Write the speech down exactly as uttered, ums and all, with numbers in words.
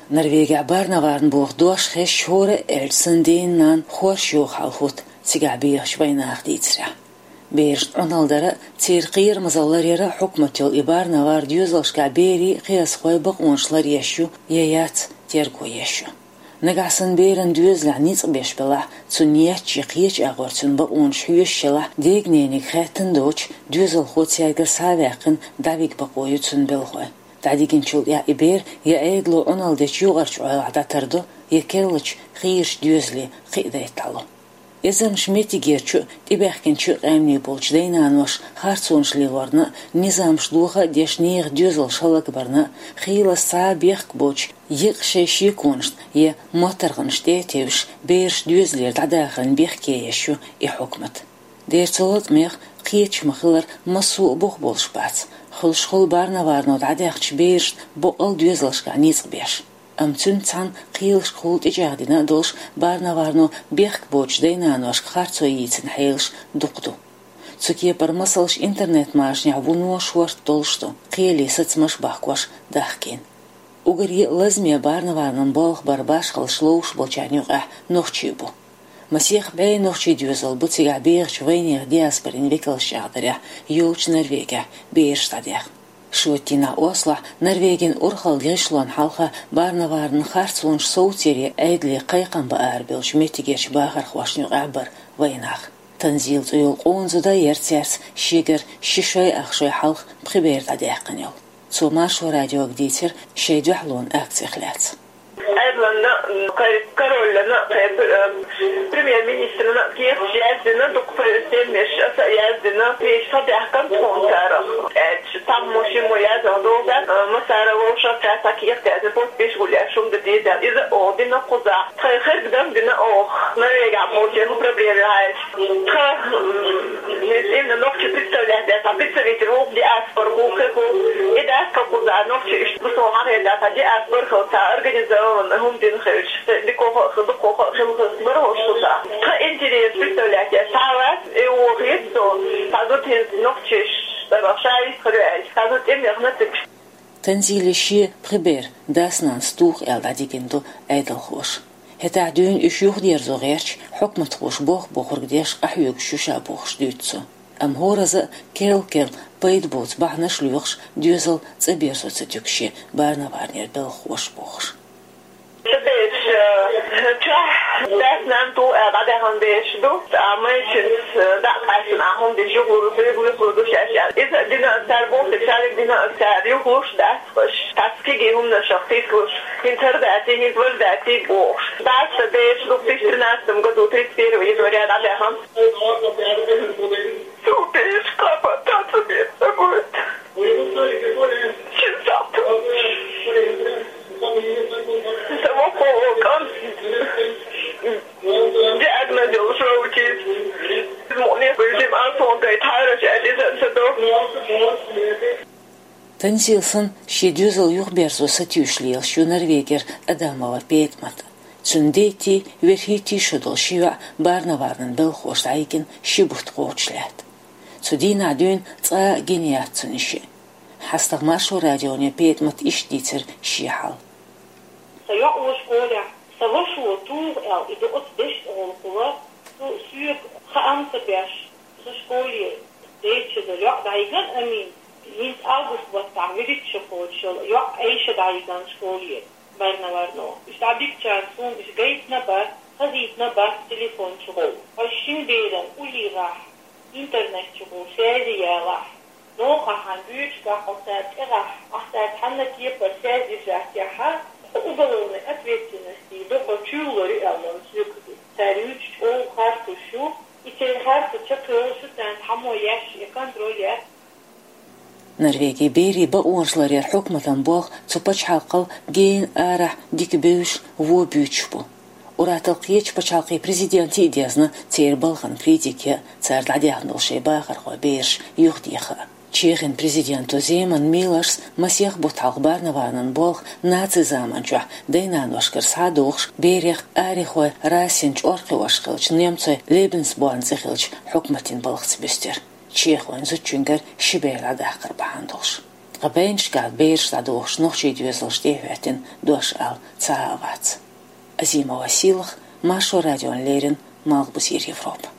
Норвегехь Барневарн боху дош хезча, хӀора а аьлча санна, ден-нана хорша йогӀу хьал хӀутту цигахь бехачу вайнаха дийцарехь. Берашна Ӏуналла дар а, церан кхерамазалла ларъяр а хьукматан йолу и Барневар доьзалшкахь берийн, кхиазхойн бакъонаш ларъеш ю я яц, терго еш ю. Нагахь санна беран доьзалехь ницкъ беш белахь, цунна еччи кхечу агӀор цуьнан бакъонаш хьоьшуш елахь, дегнениг хаьттина доцуш, доьзалхо цаьргара схьа а ваьккхина, дӀавига бакъо ю цуьнан белхалойн. ДӀадигначул тӀаьхьа и бер я Ӏедало Ӏуналла дечу юкъарчу Ӏойлахь дӀатардо, я керлачу хийрачу доьзале кхиадайта дӀало. Эзарнаш меттигерчу а, тӀебаьхкинчу а къаьмнийн болчу дай-наноша харцонаш лелорна а, низамаш доха а деш, нехан доьзалш хӀаллакбарна а, хийлаза цхьа а бехк боцуш, екъа шайн шеконашна я моттаргӀанашна тӀе а тевжаш, бераш доьзалера дӀадахаран бехке еш ю и хьукмат. Дера, цу латкъамех кхеташ ма-хиллара, массо а бух болуш бац, хуьлуш хуьлу Барневарно дӀадаьхначу берашна бакъалла доьзалшкахь ницкъ беш. Амма цуьнца цхьаьна кхелашкахула тӀечӀагӀдина а долуш, Барневарно бехк боцучу дай-наношка харцо йийцина хьелаш дукха ду. Цу кепара масалш интернет-машанехь вуно шорта долуш ду, кхеле сацамаш а бахкош дахкийна. Уггаре а лазаме Барневарнан болх баран башхаллаш ловш болчарна юкъахь нохчий бу. Масех бӀе нохчийн доьзал бу цигахь бехачу вайнехан диаспорин векалша чӀагӀдарехь йолчу Норвегехь бераш дӀадаьхна. Шоьтан дийнахь Ослохь Норвегин урхаллин гӀишлонна хьалха Барневарнан харцонаш совцаре Ӏедале кхайкхам бан арабевллачу меттигерчу бахархошна юкъахь бара вайнах. Танзила цӀе йолу къона зуда а яра цаьрца шегара ши шой ах шой хьалха пхи бер дӀадаьккхина йолу. Цо Маршо радиога дийцира шайн дуьхьалонан акцех лаьцна. Ӏедална, кхайн короллана, кхайн, э, премьер-министрна кехаташ яздина, дукха премьерш аса а яздина, кехаташ схьадаьхкина тхуна цара. Аьлча, цхьаммо шиммо яздина догӀу, э, массара вовшах цара схьа кехат яздина, подпись гулъеш, хӀума дан деза. Иза оха дина кхузахь. Тхайн херг дан дина оха. Норвегехь болчеран проблема ю хьаьжча. Тхан, м, именно нохчий представлять яц, а представитель ву, диаспора ву, кхин ву. И дац тхан кхузахь нохчий иштта бусалба хьахетта, тхан диаспора хилла, цхьа организованный хӀума дина хилча, дикоха а, дукхоха а хилла, хилла бара хӀорш шу цхьа. Тхан интерес представлять яц, цхьа а вац, и вон хета со, цхьа зуда хӀинца нохчий, ша йистхир ю аьлча, цхьа зуда тӀемехна цига. Танзиле шен пхи бер дас-нанас туху аьлла дӀадигина ду Ӏедалхоша. ХӀетахь дуьйна уьш юхадерзо гӀерташ, хьукматхоша боху бохург деш къахьоьгуш ю ша бохуш дуьйцу цо. Амма хӀоразза а керла-керла пайда боцу бахьанаш лоьхуш, доьзал цӀа берзо ца туьгу шен Барневарнера белхахоша бохуш. Ша бераш, э, чохь дас-нана туху аьлла дӀадаьхна бераш ду, ткъа майшинца, э, дӀа а къаьстина, ахь хӀума деш юхалур, хьоьга юхалур ду шаьш аьлла. Иза а дина а цара бохург, шариг дина а цара юхалуш дац. Аш цхьацца кегий хӀуманашах тислуш, хӀинца хӀара дац, хӀинца вара дац бохуш. Дац сан бераш, две тысячи тринадцатом году, тридцать первого января дӀадаьхна. Цу бераш кхаба таца бен ца гойту. Шин сахьт. Сан воккхо кӀант диагноз йолуш вовчийца. Мукъане бежим алсон гайта хьараш аьлла, иза ца до. Танзила санна, шен доьзал юхаберзо сатуьйсуш лелаш ю Норвегера Адамова ПетӀамат. Цуьнан дейтий, верхӀийтий шо долу ши йоӀ Барневарнан белхахоша дӀайигна ши бутт кхочуш лаьтта. Цу дийнахь дуьйна цкъа а гина яц цуьнан йиш. ХьастагӀа Маршо радионе ПетӀамата иштта дийцира шен хьал. Сан йоӀ ву школехь, сан вашас туху аьлла, и дукъаца дешна гӀуллакх хуьлу, цо соьга хаам ца беш, сан школе дейтта шо долу йоӀ дӀайигна Амин. ХӀинца август баттахь вуьрхӀитта шо кхочуш йолу йоӀ Айша дӀайигна школе Барневарно. Уьш дӀабигчарна суна уьш гайтина бац, хазийтина бац телефон чухула. Хьо шина беран уллехь, интернет чухула связи ялахь. Ногахь хьан буьйцуш бахьа хьо цара тӀегӀахь, ахь цара цхьанна кепара связь держать яхьа, хьо уголовной ответственности ду, хьо чуьйлалур ю аьлла соьга. Цара юьйцуш чӀогӀа харцуш ю, и церан харцо чекхйолуш ю, царна цхьаммо еш я контроль яц. Норвегин берийн бакъонаш ларъяран хьукматан болх цу пачхьалкхал гена арахь дика бевзаш, вон буьйцуш бу. Ур-атталла кхечу пачхьалкхийн президентийн а дезна церан балхана критика ян, цара дӀадаьхна долу шайн бахархой бераш юхадеха а. Чехин президенто Земан Милоша масех бутт хьалха Барневарнан болх нацийн заманчохь дай-наношкара схьа а дохуш, берех арихой расин чӀор кхиош хиллачу немцойн Лебенсборн цӀе хиллачу хьукматийн балхаца буьстира, чехойн зудчуьнгара ши бер дӀадаккхар бахьана долуш. Ткъа байнашка бераш дӀадохаш нохчий доьзалаш тӀехӀоьттина дош ала цхьа а вац. Азима Василах, Маршо радиона леррина, Малхбузера Европа.